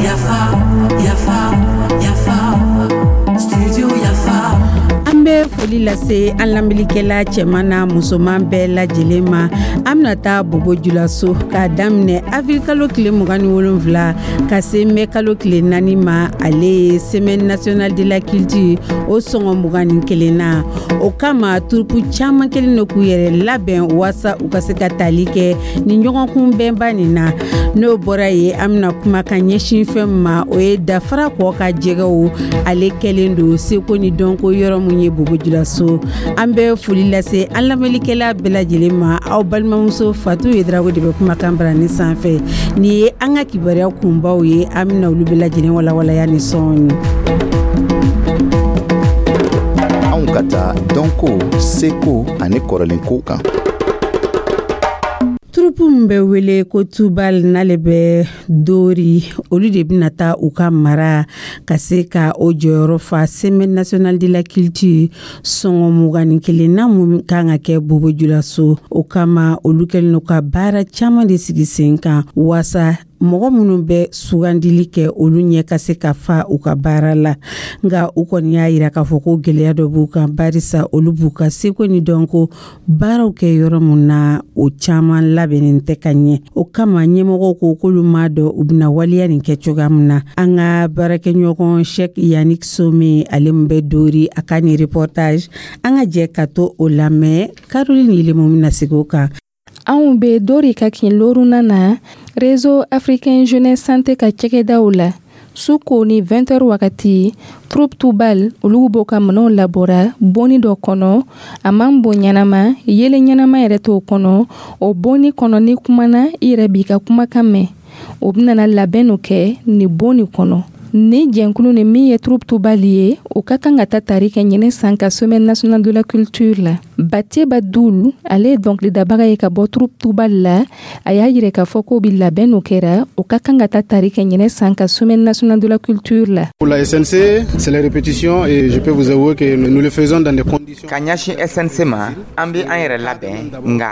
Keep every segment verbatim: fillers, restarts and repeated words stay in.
Yafa, yafa, yafa, studio Yafa. An bɛ foli lase an lamɛnnikɛla cɛman n'a musoman bɛɛ lajɛlen ma. An bɛna taa Bobo Julaso k'a daminɛ avril kalo tile mugan ni wolonfila ka se mɛ kalo tile naani ma. Ale ye Semaine nationale de la culture o sɔngɔ mugan ni kelen na. O kama, troupe caman kelen don k'u yɛrɛ labɛn waasa u ka se ka tali kɛ ni ɲɔgɔn kunbɛnba nin na. N'o bɔra yen, an bɛna kuma ka ɲɛsin fɛn min ma, o ye Dafara kɔ ka jɛgɛw. Ale kɛlen don seko ni dɔnko yɔrɔ mun ye Bobo Julaso. An bɛ foli lase an lamɛnnikɛla bɛɛ lajɛlen ma. Aw balimamuso Fatu Yedrago de bɛ kumakan barani sanfɛ. Nin ye an ka kibaruya kunbaw ye. An bɛna olu bɛɛ lajɛlen walawalaya ni sɔɔni. Anw ka taa dɔnko, seko ani kɔrɔlenkow kan. Troupe min bɛ wele ko Tubal, n'ale bɛ Dori, olu de bɛna taa u ka mara ka se ka o jɔyɔrɔ fa Semaine nationale de la culture sɔngɔ mugan ni kelen na mun kan ka kɛ Bobo Julaso. O kama, olu kɛlen don ka baara caman de sigi sen kan waasa mɔgɔ minnu bɛ sugandili kɛ, olu ɲɛ ka se ka fa u ka baara la. Nka u kɔni y'a yira k'a fɔ ko gɛlɛya dɔ b'u kan, barisa olu b'u ka seko ni dɔnko baaraw kɛ yɔrɔ mun na, o caman labɛnnen tɛ ka ɲɛ. O kama, ɲɛmɔgɔw ko k'olu m'a dɔn u bɛna waleya nin kɛ cogoya min na. An ka baarakɛɲɔgɔn Cheikh Yannick Some, ale min bɛ Dori, a ka nin reportage, an ka jɛ ka to o lamɛn. Caroline Yelemo bɛna segin o kan. Anw be Dori ka kin loruna na, Réseau africain jeunesse santé ka cɛkɛdaw la. Su ko ni vingt heures wagati, troupe Tubal olu b'o ka minɛnw labɔra bonni dɔ kɔnɔ. A man bon ɲɛnama, yelen ɲɛnama yɛrɛ t'o kɔnɔ. O bonni kɔnɔ, ni kumana, i yɛrɛ b'i ka kumakan mɛn. O benana labɛn no kɛ nin bon nin kɔnɔ. Ni jɛnkulu ni min ye troupe Tubal ye, o ka kan ka ta tari kɛ ɲinɛ san ka Semaine nationale de la culture la. Bateba Dul, ale ye dɔnkilidabaga ye ka bɔ troupe Tubal la. A y'a yira k'a fɔ k'o bi labɛn no kɛra, o ka kan ka ta tari kɛ ɲinɛ san ka Semaine nationale de la culture la. Pour la S N C, c'est les répétitions et je peux vous avouer que nous le faisons dans des conditions. Ka ɲɛsin S N C ma, an bɛ an yɛrɛ labɛn, nka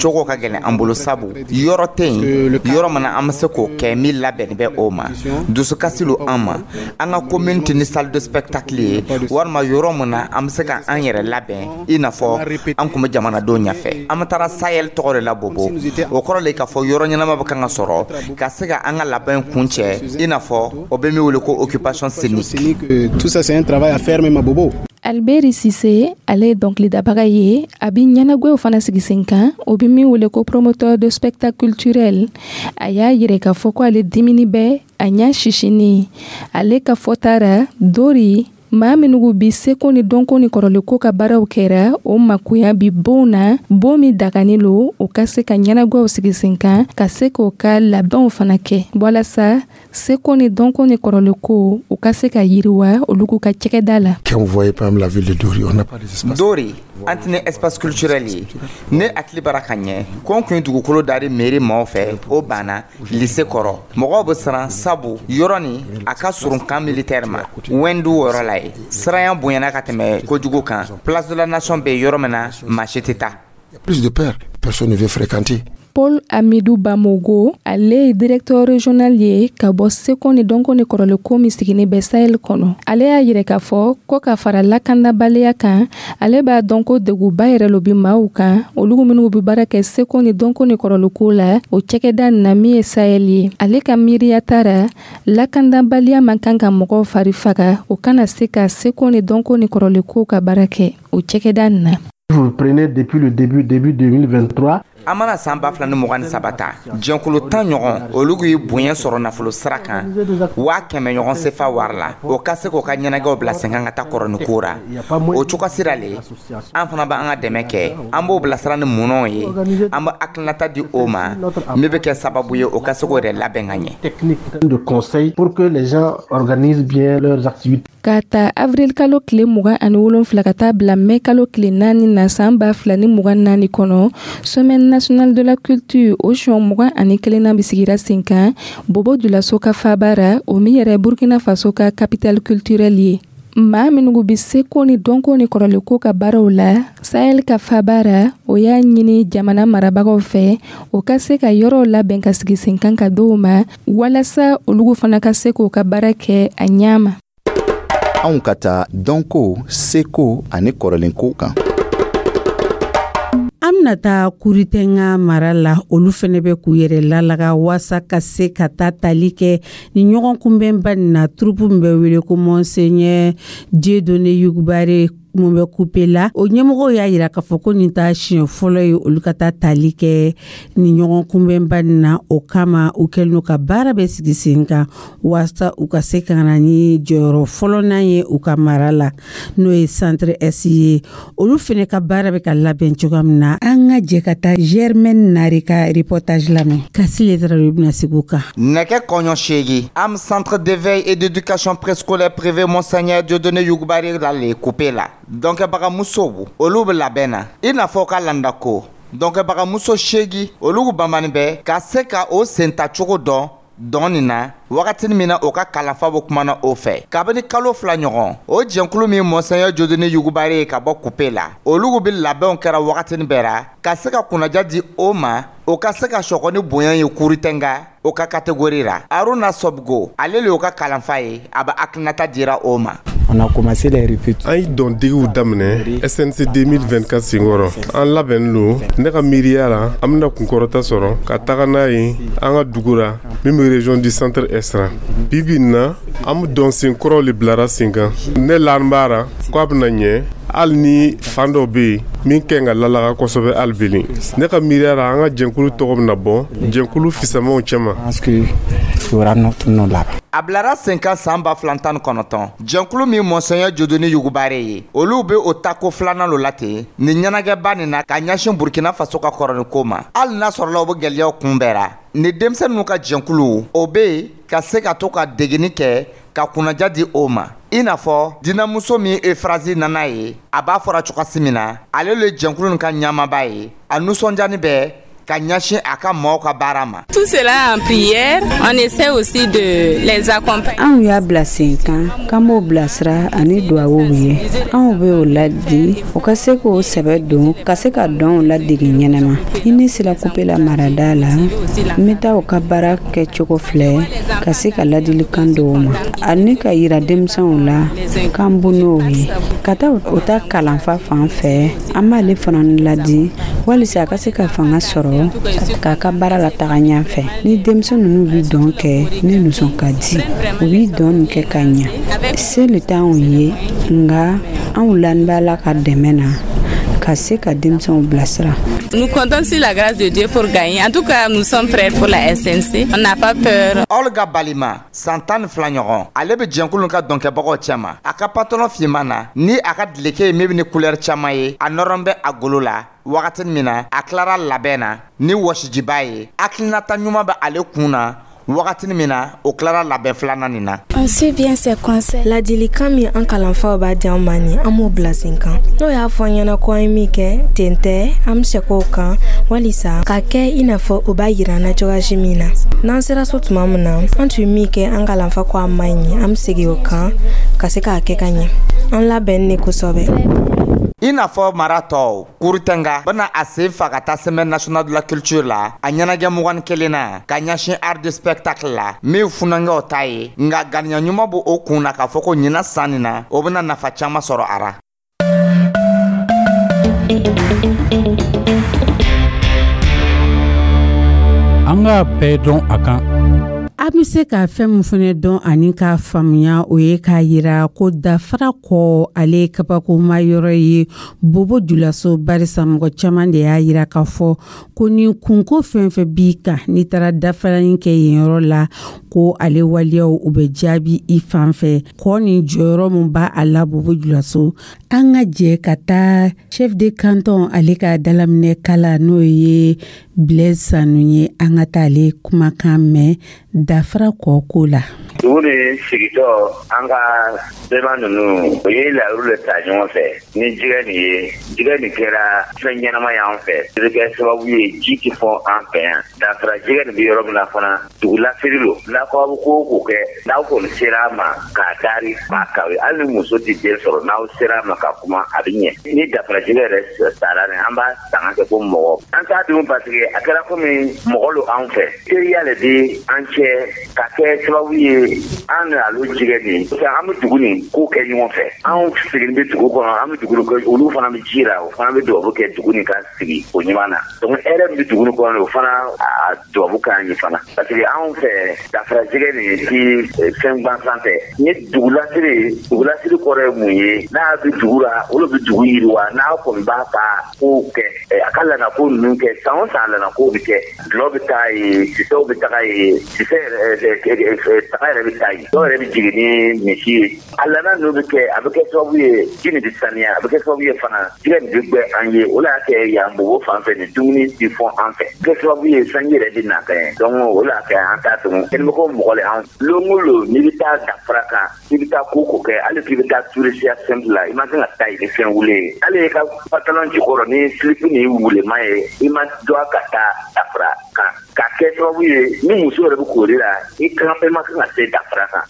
cogo ka gɛlɛn an bolo, sabu yɔrɔ tɛ yen, yɔrɔ min na an bɛ se k'o kɛ min labɛnni bɛ o ma. Dusukasi lo an ma. An ka commune tɛ ni salle de spectacle ye walima yɔrɔ min na an bɛ se ka an yɛrɛ labɛn i n'a fɔ an tun bɛ jamanadenw ɲɛfɛ. An bɛ taara Sahel tɔgɔ de la Bobo. O kɔrɔ le k'a fɔ yɔrɔ ɲɛnama bɛ kan ka sɔrɔ ka se ka an ka labɛn kun cɛ, i n'a fɔ o bɛ min wele ko occupation scénique. Tout ça, c'est un travail à faire même à Bobo. Alberi Sise, ale ye dɔnkilidabaga ye. A bi ɲɛnagwɛw fana sigi sen kan, o bi min wele ko promoteur de spectacle culturel. A y'a yira k'a fɔ ko ale dimini bɛ, a ɲa sisini. Ale ka fɔta ra, Dori maa minnu bi seko ni dɔnko ni kɔrɔlenko ka baaraw kɛra, o makoya bi bon na, bon min dagani lo, o ka se ka ɲɛnagwɛw sigi sen kan, ka se k'o ka labɛnw fana kɛ walasa seko ni dɔnko ni kɔrɔlenko u ka se ka yiriwa olu k'u ka cɛkɛda la. Quand vous voyez par exemple la ville de Dori, on n'a pas d'espace. Dori, an tɛ espace culturel ye. Ne hakili bara ka ɲɛ ko n kun ye dugukolo dari mairie maaw fɛ, o banna lycée kɔrɔ. Mɔgɔw bɛ siran, sabu yɔrɔ nin a ka surun camp militaire ma Wɛndu yɔrɔ la ye. Siranya bonyana ka tɛmɛ kojugu kan. Place de la Nation bɛ yɔrɔ min na, maa si tɛ taa. Il y a plus de peur, personne ne veut fréquenter. Paul Amidou Bamogo, ale ye directeur régional ye ka bɔ seko ni dɔnko ni kɔrɔlenko min sigini bɛ Sahel kɔnɔ. Ale y'a yira k'a fɔ ko ka fara lakanabaliya kan, ale b'a dɔn ko deguba yɛrɛ lo bi maaw kan, olu minnu bi baara kɛ seko ni dɔnko ni kɔrɔlenko la o cɛkɛda nin na min ye Sahel ye. Ale ka miiriya tara, lakanabaliya man kan ka mɔgɔw fari faga, o kana se ka seko ni dɔnko ni kɔrɔlenko ka baara kɛ o cɛkɛda nin na. Vous prenez depuis le début, début deux mille vingt-trois. An mana san ba fila ni mugan ni saba ta, jɛnkulu tan ɲɔgɔn, olu ye bonya sɔrɔ nafolo sira kan, waa kɛmɛ ɲɔgɔn sefa wari la, o ka se k'o ka ɲɛnajɛw bila sen kan ka taa kɔrɔ ni ko ra. O cogo sira le, an fana b'an ka dɛmɛ kɛ. An b'o bilasira ni munɔw ye, an bɛ hakilinata di o ma min bɛ kɛ sababu ye o ka se k'o yɛrɛ labɛn ka ɲɛ. De conseil pour que les gens organisent bien leurs activités. Ka ta avril kalo tile mugan ani wolonfila ka taa bila mɛ kalo tile naani na san ba fila ni mugan naani kɔnɔ, Semaine nationale de la culture o siɲɛ mugan ani kelenna bi sigira sen kan Bobo Julaso ka faba ra, o min yɛrɛ Burkina Faso ka capitale culturelle ye. Maa minnu bɛ seko ni dɔnko ni kɔrɔlenko ka baaraw la Sahel ka faba ra, o y'a ɲini jamana marabagaw fɛ, o ka se ka yɔrɔw labɛn ka sigi sen kan ka d'o ma, walasa olu fana ka se k'o ka baara kɛ a ɲɛ ma. Anw ka taa dɔnko, seko ani kɔrɔlenko kan. An bɛna taa Kuritɛnga mara la. Olu fɛnɛ bɛ k'u yɛrɛ lalaga waasa ka se ka taa tali kɛ ni ɲɔgɔn kunbɛnba nin na. Troupe min bɛ wele ko Monseigneur Dieudonné Yougoubaré mun bɛ Kupe la, o ɲɛmɔgɔw y'a yira k'a fɔ ko nin ta siɲɛ fɔlɔ ye olu ka taa tali kɛ ni ɲɔgɔn kunbɛnba nin na. O kama, u kɛlen don ka baara bɛ sigi sen kan waasa u ka se ka na ni jɔyɔrɔ fɔlɔnan ye u ka mara la, n'o ye Centre Est ye. Olu fɛnɛ ka baara bɛ ka labɛn cogoya min na, an ka jɛ ka taa Germaine Nare ka reportage lamɛn. Kasile Tarawele bɛna sigi o kan. Nɛgɛ kɔɲɔ seegin am Centre d'éveil et d'éducation préscolaire privé Monseigneur Dieudonné Yougoubaré la le Kupe la, dɔnkɛbagamusow olu bɛ labɛn na i n'a fɔ ka landako dɔnkɛbagamuso seegi olu banbani bɛ ka se ka o sentacogo dɔn dɔn nin na. Wagati min na o ka kalanfa bɛ kumana o fɛ kabini kalo fila ɲɔgɔn, o jɛnkulu min Monseigneur Dieudonné Yougoubaré ye ka bɔ Kupe la, olu bɛ labɛnw kɛra wagatini bɛɛ ra ka se ka kunnaja di o ma, o ka se ka sɔgɔ ni bonya ye Kuritɛnga o ka catégorie la. Aruna Sɔbugo, ale le y'o ka kalanfa ye, a bɛ hakilinata dira o ma. On a commencé les répétitions. An ye dɔndegiw daminɛ S N C deux mille vingt-quatre senkɔrɔ. An labɛnnen don. Ne ka miiriya la, an bɛna kunkɔrɔta sɔrɔ ka taga n'a ye an ka dugu la min bɛ région du Centre Est ra. Bi bi in na, an bɛ dɔnsen kɔrɔw le bilara sen kan. Ne lani b'a ra ko a bɛna ɲɛ, hali ni fan dɔ bɛ yen min kɛ ka lalaga kosɛbɛ. Hali belen, ne ka miiriya la, an ka jɛnkulu tɔgɔ bɛna bɔ jɛnkulu fisamaw cɛma. Pense que il y aura notre nom là-bas. A bilara sen kan san ba fila tan ni kɔnɔntɔn. Jɛnkulu min Monseigneur Dieudonné Yougoubaré ye, olu be o tako filanan lo la ten nin ɲɛnagɛba nin na ka ɲɛsin Burkina Faso ka kɔrɔniko ma. Hali n'a sɔrɔla o be gwɛlɛyaw kunbɛra ni denmisɛn ninnu ka jɛnkulu, o be yen ka se ka to ka degeni kɛ ka kunnaja di o ma, i n'a fɔ dinamuso min Efrazi nana ye. A b'a fɔra cogosi min na, ale le jɛnkulu nin ka ɲamaba ye, a nisɔndiyani bɛ ka ɲɛsin a ka maaw ka baara ma. Tout cela en prière, on essaie aussi de les accompagner. Anw y'a bila sen kan k'an b'o bilasira ani duwawuw ye. Anw bɛ o ladi, o ka se k'o sɛbɛ don ka se ka dɔnw ladege ɲɛnama. Ni ne sera Kupela marada la, n bɛ taa o ka baara kɛcogo filɛ ka se ka ladilikan dɔw ma ani ka yira denmisɛnw la k'an bu n'o ye ka taa o ta kalanfa fan fɛ. An b'ale fana ladi walisa a ka se ka fanga sɔrɔ k'a ka baara la taga ɲɛfɛ. Ni denmisɛn ninnu bɛ dɔn kɛ, ne nisɔn ka di. U bɛ dɔn nin kɛ ka ɲa, se le t'anw ye, nka anw lani b'a la ka dɛmɛ na ka se ka denmisɛnw bilasira. Nous comptons sur la grâce de Dieu pour gagner. En tout cas, nous sommes prêts pour la S N C. On n'a pas peur. Olga Balima, san tan ni fila ɲɔgɔn, ale bɛ jɛnkulu ka dɔnkɛbagaw cɛma. A ka pantalon finman na ni a ka dileke ye min bɛ ni couleur caman ye, a nɔrɔ bɛ a golo la. Wagati min na a tilara labɛn na ni wɔsijiba ye, hakilinata ɲuman bɛ ale kun na. Wagati min na o tilara labɛn filanan nin na. On suit bien ses conseils. Ladilikan min an kalanfaw b'a di an ma nin, an b'o bila sen kan. N'o y'a fɔ an ɲɛna ko an ye min kɛ ten tɛ, an bɛ segin o kan walisa ka kɛ i n'a fɔ o b'a yira an na cogoya min na. N'an sera so tuma min na, an tun ye min kɛ, an kalanfa ko a man ɲi, an bɛ segin o kan ka se k'a kɛ ka ɲɛ. An labɛnnen de kosɛbɛ. I n'a fɔ mara tɔw, Kurutɛnga bɛna a sen fa ka taa Semaine nationale de la culture la, a ɲɛnajɛ mugan ni kelen na ka ɲɛsin art de spectacle la min funankɛw ta ye. Nka ganiya ɲuman b'o o kun na k'a fɔ ko ɲinan san nin na, o bɛna nafa caman sɔrɔ a ra. An k'a bɛɛ dɔn a kan. An bɛ se ka fɛn min fana dɔn ani k'a faamuya, o ye k'a yira ko Dafara kɔ, ale ye kabakoma yɔrɔ ye Bobo Julaso, barisa mɔgɔ caman de y'a yira k'a fɔ ko ni kunko fɛn fɛn b'i kan, n'i taara dafalani kɛ yen yɔrɔ la, ko ale waleyaw u bɛ jaabi i fan fɛ. Kɔ ni jɔyɔrɔ min b'a a la Bobo Julaso, an ka jɛ ka taa chef de canton ale ka dalaminɛ kala, n'o ye Blaise Sanu ye. An ka taa ale kumakan mɛn. Dafara kɔ ko la. Dugu ni sigitɔ, an ka bɛma ninnu, o ye layiru le ta ɲɔgɔn fɛ ni jɛgɛ nin ye. Jɛgɛ nin kɛra fɛn ɲɛnama y'an fɛ, o bɛ kɛ sababu ye ji tɛ fɔ an fɛ yan. Dafara jɛgɛ nin bɛ yɔrɔ min na fana, dugu lasiri lo. N'aw bɛ ko o ko kɛ, n'aw kɔni sera a ma k'a dari k'a kawe, hali ni muso tɛ den sɔrɔ, n'aw sera a ma ka kuma, a bɛ ɲɛ. Ni dafara jɛgɛ yɛrɛ sara nin, an b'a sanga kɛ ko mɔgɔ an t'a dun, parce que a kɛra komi mɔgɔ lo anw fɛ. Teriya le bɛ an cɛ ka kɛ sababu ye an n'alu jɛgɛ nin, an bɛ dugu nin ko kɛ ɲɔgɔn fɛ. Anw sigilen bɛ dugu kɔnɔ, an bɛ dugu kɛ, olu fana bɛ ji la, o fana bɛ dubabu kɛ dugu nin ka sigi o ɲuman na. Donc hɛrɛ min bɛ dugu nin kɔnɔ, o fana a dubabu k'an ye fana, parce que anw fɛ dafara jɛgɛ nin ti fɛn gansan tɛ. Ni dugulasiri, dugulasiri kɔrɔ ye mun ye? N'a bɛ dugu la, olu bɛ dugu yiriwa. N'a kɔni b'a ka kow kɛ, a ka lanako ninnu kɛ, san o san lanakow bɛ kɛ, dulɔ bɛ taa yen, sisɛw bɛ taga yen, sisɛ yɛrɛ taga yɛrɛ bɛ taa yen, dɔw yɛrɛ bɛ jigin ni misi ye. A lana ninnu bɛ kɛ, a bɛ kɛ sababu ye ji nin bɛ saniya, a bɛ kɛ sababu ye fana jɛgɛ nin bɛ gbɛ an ye. O la y'a kɛ yan Bobo fan fɛ, nin dumuni tɛ fɔ an fɛ, kɛ sababu ye sanji yɛrɛ bɛ na kɛ. Donc o la kɛ an t'a tugun kɛnɛmɔgɔ mɔgɔ le an lon o lon. N'i bɛ taa dafara kan, i bɛ taa ko ko kɛ, hali k'i bɛ taa tourisiya simple la, i ma kan ka taa yen ni fɛn wule ye. Hali i ka pantalon jukɔrɔ ni slip ni wulema ye, i ma dɔn ka taa dafara kan ka kɛ sababu ye ni muso yɛrɛ bɛ kori la, i kan i ma kan ka se dafara kan.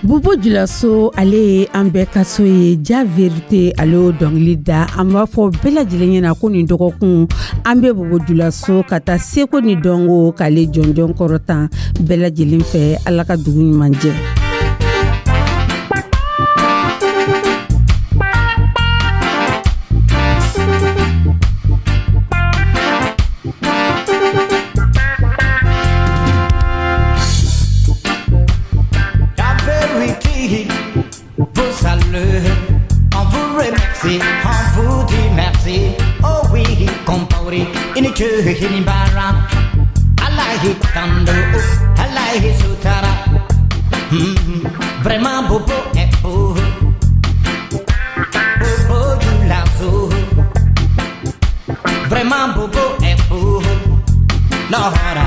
Bobo Julaso, ale ye an bɛɛ ka so ye. Ja Vérité, ale y'o dɔnkili da. An b'a fɔ bɛɛ lajɛlen ɲɛna ko nin dɔgɔkun an bɛ Bobo Julaso ka taa seko ni dɔnko k'ale jɔnjɔn kɔrɔtan bɛɛ lajɛlen fɛ. Ala ka dugu ɲuman jɛ. Vraiment Bobo est beau, Bobo Dioulasso. Vraiment Bobo est beau, Lahara.